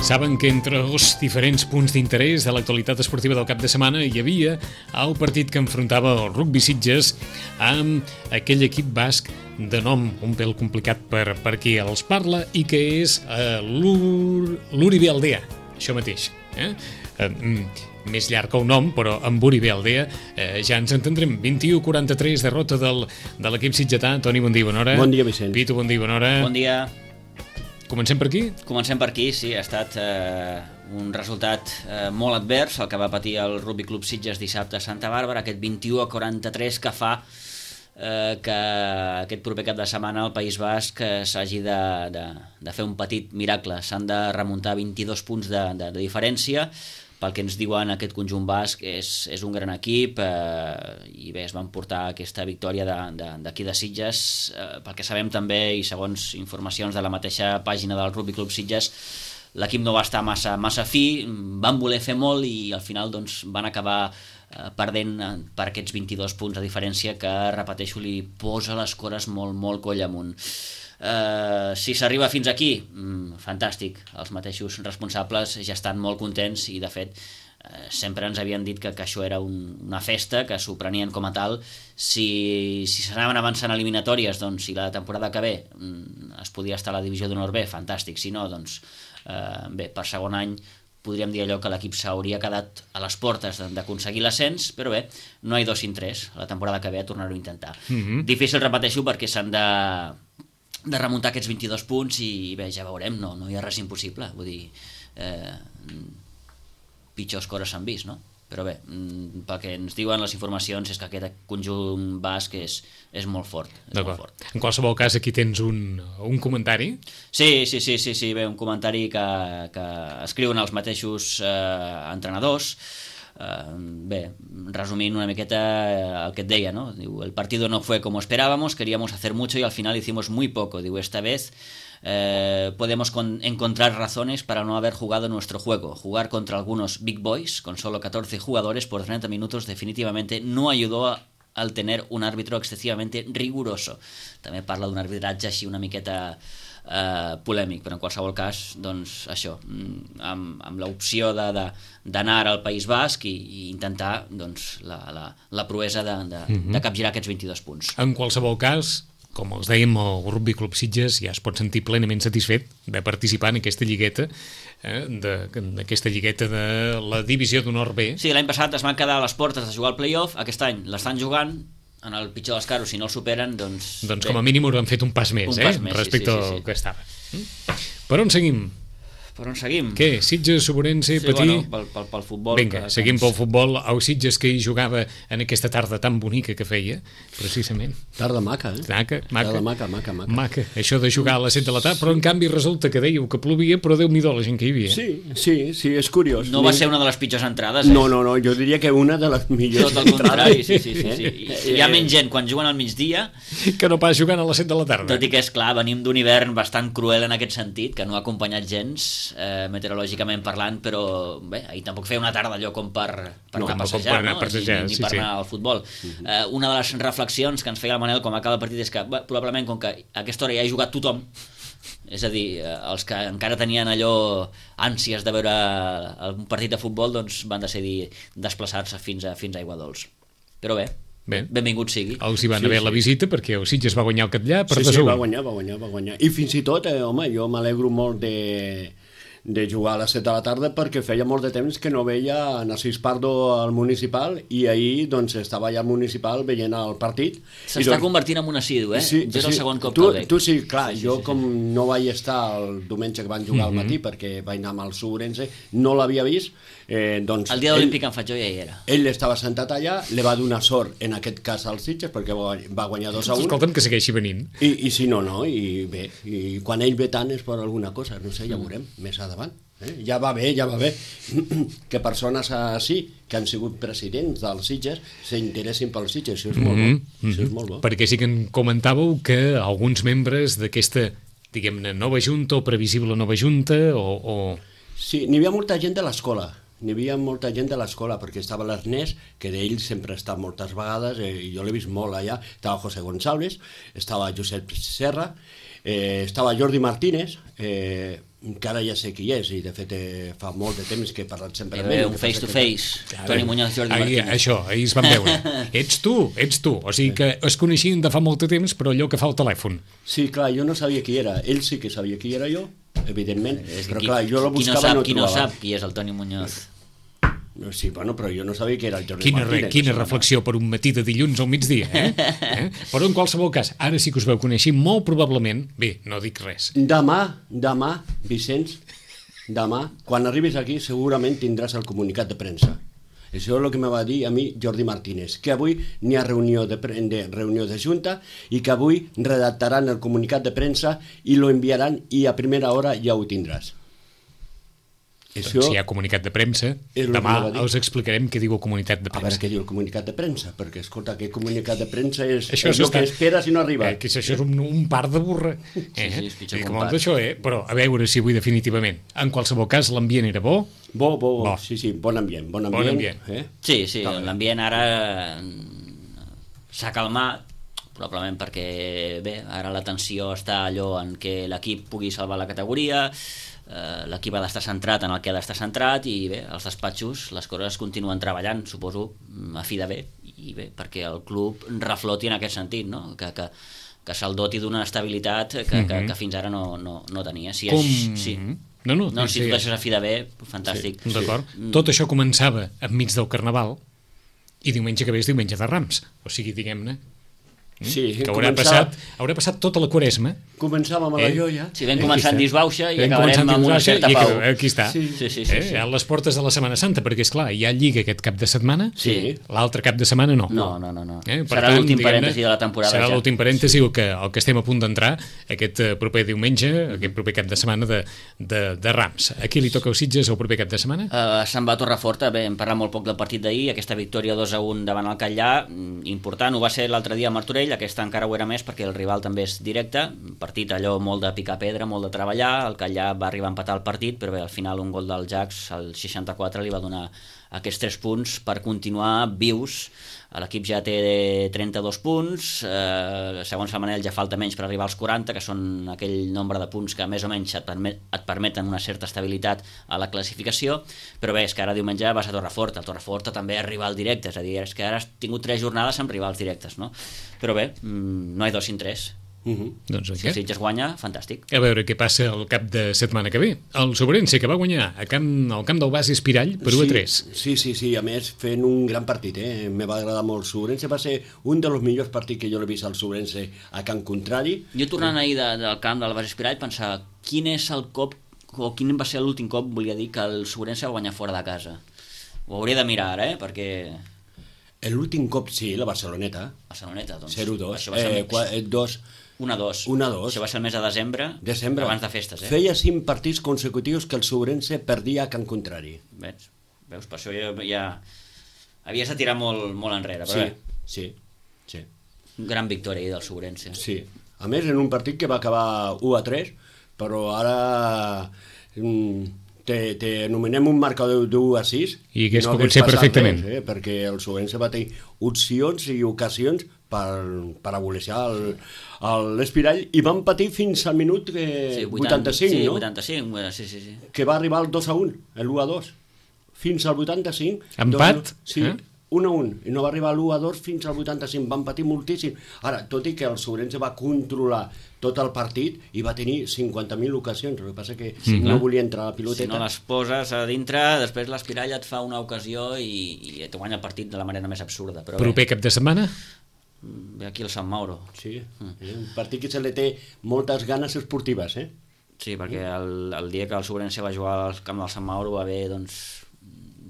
Saben que entre els diferents punts d'interès de l'actualitat esportiva del cap de setmana hi havia el partit que enfrontava el Rugby Sitges amb aquell equip basc de nom un pèl complicat per qui els parla i que és l'Uribe Aldea, això mateix. Més llarg que un nom, però amb Uribe Aldea ja ens entendrem. 21-43, derrota de l'equip sitgetà. Toni, bon dia, bona hora. Bon dia, Vicent. Pitu, bon dia, bona hora. Bon dia. Comencem per aquí? Comencem per aquí, sí. Ha estat un resultat molt advers, el que va patir el Rugby Club Sitges dissabte a Santa Bàrbara, aquest 21-43 que fa que aquest proper cap de setmana al País Basc s'hagi de fer un petit miracle. S'han de remuntar 22 punts de diferència. Pel que ens diuen, aquest conjunt basc és un gran equip i bé, es van portar aquesta victòria d'aquí de Sitges. Pel que sabem també, i segons informacions de la mateixa pàgina del Rugby Club Sitges, l'equip no va estar massa fi, van voler fer molt i al final doncs, van acabar perdent per aquests 22 punts de diferència que, repeteixo, li posa les cores molt coll amunt. Si s'arriba fins aquí, fantàstic, els mateixos responsables ja estan molt contents i de fet sempre ens havien dit que això era una festa, que s'ho prenien com a tal. Si s'anaven avançant eliminatòries, doncs si la temporada que ve es podia estar a la divisió d'honor B, fantàstic, si no, doncs bé, per segon any podríem dir allò que l'equip s'hauria quedat a les portes d'aconseguir l'ascens, però bé, no hi ha dos sin tres, la temporada que ve a tornar-ho a intentar. Difícil, repeteixo, perquè s'han de remuntar aquests 22 punts i bé, ja veurem, no hi ha res impossible, vull dir, pitjors coses s'han vist, no? Però bé, pel que ens diuen les informacions és que aquest conjunt basc és molt fort. En qualsevol cas, aquí tens un comentari. Sí, bé, un comentari que escriuen els mateixos entrenadors. Bé, resumint una miqueta el que et deia, ¿no? Diu, el partido no fue como esperábamos, queríamos hacer mucho y al final hicimos muy poco. Digo, esta vez podemos encontrar razones para no haber jugado nuestro juego. Jugar contra algunos big boys con solo 14 jugadores por 30 minutos definitivamente no ayudó al tener un árbitro excesivamente riguroso. També parla d'un arbitratge així una miqueta polèmic, però en qualsevol cas, doncs això, amb l'opció d'anar al País Basc i intentar doncs, la proesa de capgirar aquests 22 punts. En qualsevol cas, com els dèiem, el Rugby Club Sitges ja es pot sentir plenament satisfet de participar en aquesta lligueta, d'aquesta lligueta de la divisió d'honor B. Sí, l'any passat es van quedar a les portes de jugar al play-off, aquest any l'estan jugant, en el pitjor dels casos, si no el superen, doncs com a mínim han fet un pas més, respecte al que estava. Per on seguim? Per on seguim? Què? Sitges, Soborense, Patí? Bueno, pel futbol. Vinga, seguim pel futbol. El Sitges que hi jugava en aquesta tarda tan bonica que feia, precisament. Tarda maca, Maca. Això de jugar a les 7 de la tarda, però en canvi resulta que dèieu que plovia, però Déu-n'hi-do la gent que hi havia. Sí, és curiós. No va ser una de les pitjors entrades, No, jo diria que una de les millors entrades. Tot el contrari, sí. Hi ha menys gent quan juguen al migdia que no pas jugant a les 7 de la tarda. Tot i que, és clar, venim d'un hivern bastant cruel en aquest sentit, que no ha acompanyat gens meteorològicament parlant, però bé, ahir tampoc feia una tarda allò com per anar a passejar, ni per anar al futbol. Una de les reflexions que ens feia el Manel com acaba el partit és que probablement com que a aquesta hora ja ha jugat tothom, és a dir, els que encara tenien allò ànsies de veure un partit de futbol, doncs van decidir desplaçar-se fins a Aiguadols. Però bé, benvingut sigui. Els hi van haver la visita perquè el Sitges va guanyar el Catllar per 2-1. Sí, va guanyar. I fins i tot, jo m'alegro molt de jugar a les 7 de la tarda perquè feia molt de temps que no veia Narcís Pardo al Municipal i ahir doncs estava allà al Municipal veient el partit. S'està convertint en un assidu, Sí, jo és el segon cop que el veig. Tu sí, clar, jo com no vaig estar el diumenge que van jugar al matí perquè vaig anar amb el Soborense, no l'havia vist, doncs... El dia olímpic en faig jo ja hi era. Ell estava sentat allà, li va donar sort en aquest cas als Sitges perquè va guanyar 2-1. Escolta'm, que segueixi venint. I si no, i bé, i quan ell ve tant és per alguna cosa, no sé, ja veurem més endavant. Ja va bé que persones així que han sigut presidents dels Sitges s'interessin pels Sitges, això és molt bo. Perquè sí que en comentàveu que alguns membres d'aquesta, diguem-ne, nova junta o previsible nova junta Sí, n'hi havia molta gent de l'escola. Perquè estava l'Ernest, que d'ell sempre ha estat moltes vegades, i jo l'he vist molt allà, estava José González, estava Josep Serra, estava Jordi Martínez, encara ja sé qui és, i de fet fa molt de temps que he parlat sempre amb ell. Un face to face, Toni Muñoz, Jordi Martínez. Això, ahir es van veure. Ets tu. O sigui que es coneixien de fa molt de temps, però allò que fa el telèfon. Sí, clar, jo no sabia qui era. Ell sí que sabia qui era jo, evidentment, però clar, jo lo buscava i no Qui no trobava. sap qui és el Toni Muñoz? Sí, bueno, però jo no sabia que era el Jordi Martínez. Quina reflexió per un matí de dilluns al migdia, Però en qualsevol cas, ara sí que us veu conèixer, molt probablement, bé, no dic res. Demà, Vicenç, demà, quan arribis aquí segurament tindràs el comunicat de premsa. Això és el que me va dir a mi Jordi Martínez, que avui n'hi ha reunió de junta i que avui redactaran el comunicat de premsa i lo enviaran i a primera hora ja ho tindràs. Això, si hi ha comunicat de premsa, demà us explicarem què diu el comunicat de premsa. A veure què diu el comunicat de premsa, perquè, escolta, aquest comunicat de premsa és el que esperes i no arriba. Que això és un par de burra. Sí, això, però a veure si avui definitivament. En qualsevol cas, l'ambient era bo? Bo. Sí, bon ambient. Bon ambient. Sí, l'ambient ara s'ha calmat, probablement perquè, bé, ara la tensió està allò en què l'equip pugui salvar la categoria, l'equip ha d'estar centrat en el que ha d'estar centrat i bé, als despatxos les coses continuen treballant, suposo, a fi de bé, i bé, perquè el club refloti en aquest sentit, no? Que se'l doti d'una estabilitat que fins ara no tenia. Si tot això és a fi de bé, fantàstic. Sí, d'acord. Tot això començava enmig del Carnaval i diumenge que ve és diumenge de Rams, o sigui, diguem-ne, que haurà passat tota la Quaresma. Començàvem a la joia. Si vam començar en disbauxa i acabarem amb una certa pau. Aquí està. A les portes de la Setmana Santa, perquè esclar, hi ha Lliga aquest cap de setmana, l'altre cap de setmana no. No. Serà l'últim parèntesi de la temporada. Serà l'últim parèntesi el que estem a punt d'entrar aquest proper diumenge, aquest proper cap de setmana de Rams. A qui li toca els Sitges el proper cap de setmana? Se'n va a Torreforta. Bé, hem parlat molt poc del partit d'ahir, aquesta victòria 2-1 davant el Catllà, important, ho va ser l'altre dia a Martorell, aquesta encara ho era més perquè el rival també és directe, partit allò molt de picar pedra, molt de treballar, el Catllà va arribar a empatar el partit, però bé, al final un gol del Jax, al 64, li va donar aquests 3 punts per continuar vius. L'equip ja té 32 punts, segons el Manel ja falta menys per arribar als 40, que són aquell nombre de punts que més o menys et permeten una certa estabilitat a la classificació, però bé, és que ara diumenge vas a Torreforta, el Torreforta també és rival directe, és a dir, és que ara has tingut 3 jornades amb rivals directes, no? Però bé, no hi 2 sin 3. Doncs si el Sitges guanya, fantàstic. A veure què passa el cap de setmana que ve. El Sobrense, que va guanyar al camp del Bas Espirall per 1-3. Sí, a més fent un gran partit, me va agradar molt. El Sobrense va ser un dels millors partits que jo l'he vist al Sobrense a camp contrari. Jo tornant ahir del camp del Bas Espirall pensava quin és el cop, o quin va ser l'últim cop, volia dir, que el Sobrense va guanyar fora de casa. Ho hauria de mirar ara, perquè... L'últim cop, sí, la Barceloneta. Doncs. 0-2. 1-2. Això va ser el mes de desembre. Abans de festes. Feia 5 partits consecutius que el Sobrense perdia a camp contrari. Veus? Per això ja havies de tirar molt enrere. Sí. Gran victòria ahir del Sobrense. Sí. A més, en un partit que va acabar 1-3, però ara te anomenem un marcador d'1-6 i que no pot ser perfectament res, perquè el Sobrense va tenir opcions i ocasions per aboleixar l'Espirall i van patir fins al minut 85, no? 85, sí. Que va arribar al 2-1, l'1-2 fins al 85. Empat? Sí, 1-1, i no va arribar a l'1-2 fins al 85, van patir moltíssim. Ara, tot i que el Sobrense va controlar tot el partit i va tenir 50.000 ocasions, el que passa que no volia entrar a la piloteta. Si no les poses a dintre, després l'Espirall et fa una ocasió i et guanya el partit de la manera més absurda. Però proper cap de setmana? Ve aquí el Sant Mauro. Sí, un partit que se li té moltes ganes esportives, Sí, perquè el dia que el Sobrense va jugar al camp del Sant Mauro va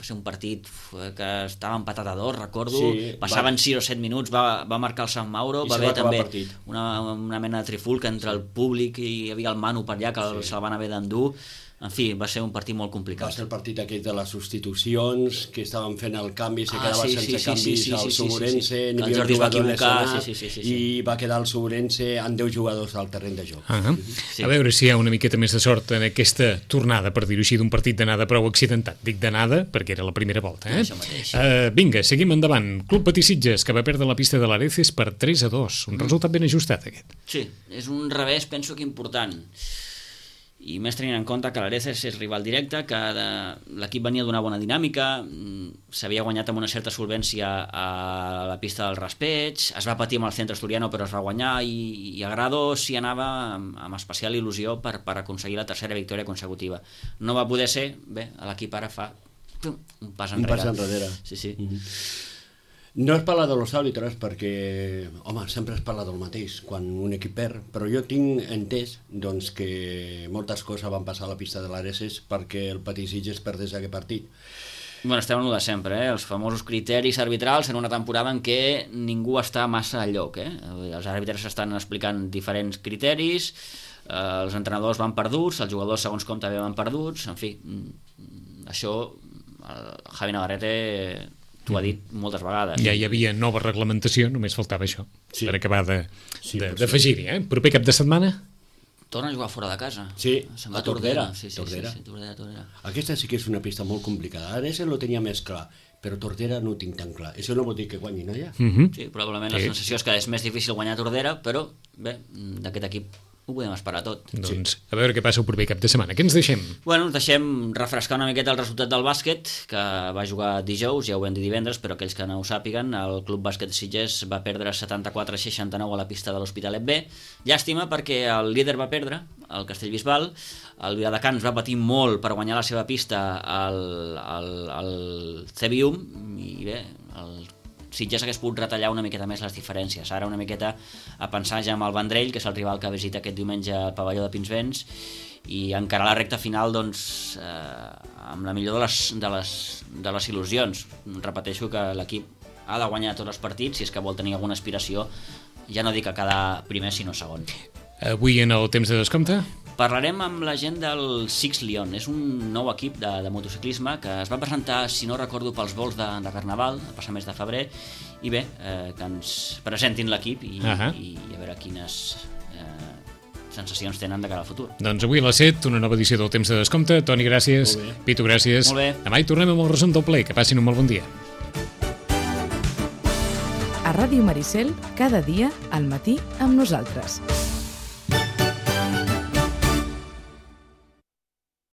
ser un partit que estava empatat a 2, recordo, passaven 6 o 7 minuts, va marcar el Sant Mauro, va haver també una mena de trifulca entre el públic i hi havia el Manu per allà que se'l van haver d'endur. En fi, va ser un partit molt complicat. Va ser el partit aquest de les substitucions, que estaven fent el canvi, se quedava sense canvis al Sobrense, n'hi havia un jugador lesionat i va quedar el Sobrense amb 10 jugadors al terreny de joc. A veure si hi ha una miqueta més de sort en aquesta tornada, per dir-ho així, d'un partit d'anada prou accidentat. Dic d'anada perquè era la primera volta. Vinga, seguim endavant. Club Patí Sitges, que va perdre la pista de l'Areces per 3-2. Un resultat ben ajustat, aquest. Sí, és un revés, penso que important. i més tenint en compte que l'Areces és rival directe, que l'equip venia d'una bona dinàmica, s'havia guanyat amb una certa solvència a la pista del raspeig, es va patir amb el Centre Asturiano però es va guanyar, i a Grado s'hi anava amb especial il·lusió per aconseguir la tercera victòria consecutiva. No va poder ser, bé, l'equip ara fa un pas enrere. Un pas enrere. Sí. No es parla de los àrbitres perquè, home, sempre es parla del mateix quan un equip perd, però jo tinc entès doncs, que moltes coses van passar a la pista de l'Areces perquè el Patí Sitges perdés aquest partit. Bueno, estem en el de sempre, els famosos criteris arbitrals en una temporada en què ningú està massa al lloc. Els àrbitres estan explicant diferents criteris, els entrenadors van perduts, els jugadors segons com també van perduts, en fi, això el Javi Navarrete t'ho ha dit moltes vegades. Ja hi havia nova reglamentació, només faltava això, per acabar d'afegir-hi. Proper cap de setmana? Torna a jugar fora de casa. Sí, se'n va a Tordera. Tordera. Aquesta sí que és una pista molt complicada. Ara lo tenia més clar, però Tordera no ho tinc tan clar. Això no vol dir que guanyin allà. Sí, probablement la sensació és que és més difícil guanyar a Tordera, però bé, d'aquest equip ho podem esperar tot. Doncs a veure què passa el proper cap de setmana. Què ens deixem? Bueno, ens deixem refrescar una miqueta el resultat del bàsquet, que va jugar dijous, ja ho vam dir divendres, però aquells que no ho sàpiguen, el Club Bàsquet Sitges va perdre 74-69 a la pista de l'Hospitalet B. Llàstima perquè el líder va perdre, el Castellbisbal, el Viladecans va patir molt per guanyar la seva pista al Cebium, i bé, el Sitges hagués pogut retallar una miqueta més les diferències. Ara una miqueta a pensar ja amb el Vendrell, que és el rival que visita aquest diumenge al pavelló de Pinsbens, i encarar la recta final doncs, amb la millor de les il·lusions. Repeteixo que l'equip ha de guanyar tots els partits si és que vol tenir alguna aspiració, ja no dic a quedar primer sinó segon. Avui en el temps de descompte? Parlarem amb la gent del Six Lion. És un nou equip de motociclisme que es va presentar, si no recordo, pels vols de Carnaval, el passat mes de febrer, i bé, que ens presentin l'equip i a veure quines sensacions tenen de cara al futur. Doncs avui a les 7, una nova edició del Temps de Descompte. Toni, gràcies. Pitu, gràcies. Molt bé. Demà hi tornem amb el resum del ple. Que passin un molt bon dia. A Ràdio Maricel, cada dia, al matí, amb nosaltres.